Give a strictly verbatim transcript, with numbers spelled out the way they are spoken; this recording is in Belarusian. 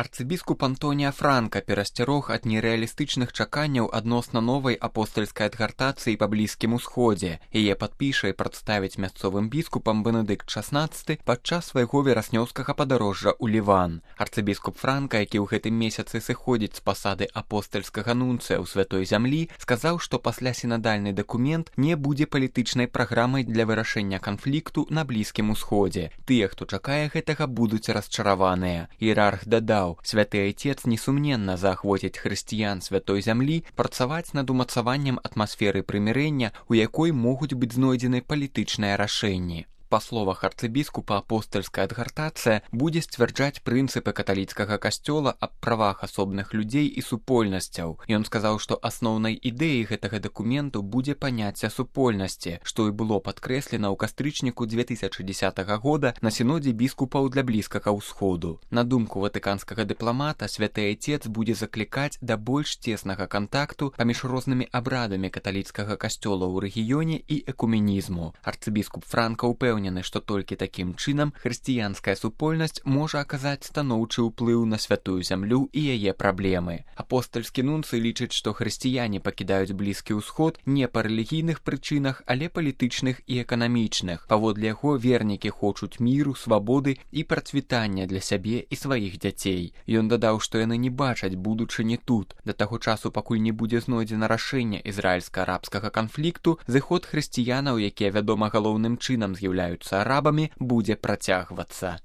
Арцыбіскуп Антонія Франка перасцярог ад нерэалістычных чаканняў адносна новай апостальскай адгартацыі па Блізкім Усходзе. Яе падпіша і прадставіць мясцовым біскупам Бенедыкт шаснаццаты падчас свайго вераснёўскага падарожжа ў Ліван. Арцыбіскуп Франка, які ў гэтым месяцы сыходзіць з пасады апостальскага нунцыя ў Святой Зямлі, сказаў, што пасля сінадальны дакумент не будзе палітычнай праграмай для вырашэння канфлікту на Блізкім Усходзе. Тыя, хто чакае гэтага, будуць расчараваныя. Іерарх дадаў: Святы Айцец несумненна заахвоціць хрысціян Святой Зямлі працаваць над умацаваннем атмасферы прымірэння, у якой могуць быць знойдзены палітычныя рашэнні. Па словах арцыбіскупа, апостальская адгартацыя будзе сцвярджаць прынцыпы каталіцкага касцёла аб правах асобных людзей і супольнасцяў. Ён сказаў, што асноўнай ідэяй гэтага дакументу будзе паняцце супольнасці, што і было падкрэслена ў кастрычніку дзве тысячы дзесятага года на сінодзе біскупаў для Блізкага ўсходу. На думку ватыканскага дыпламата, Святы Айцец будзе заклікаць да больш цеснага кантакту паміж рознымі абрадамі каталіцкага касцёла ў рэгіёне і экуменізму. Арцыбіскуп Франка ўпэўнены, што толькі такім чынам хрысціянская супольнасць можа аказаць станоўчы ўплыў на Святую Зямлю і яе праблемы. Апостальскі нунцый лічыць, што хрысціяне пакідаюць Блізкі ўсход не па рэлігійных прычынах, але палітычных і эканамічных. Паводле яго, вернікі хочуць міру, свабоды і працвітання для сябе і сваіх дзяцей. Ён дадаў, што яны не бачаць будучыні тут. Да таго часу, пакуль не будзе знойдзена рашэнне ізраільска-арабскага канфлікту, зыход хрысціянаў, якія, вядома, галоўным чынам з'яўляюцца арабамі, будзе працягвацца.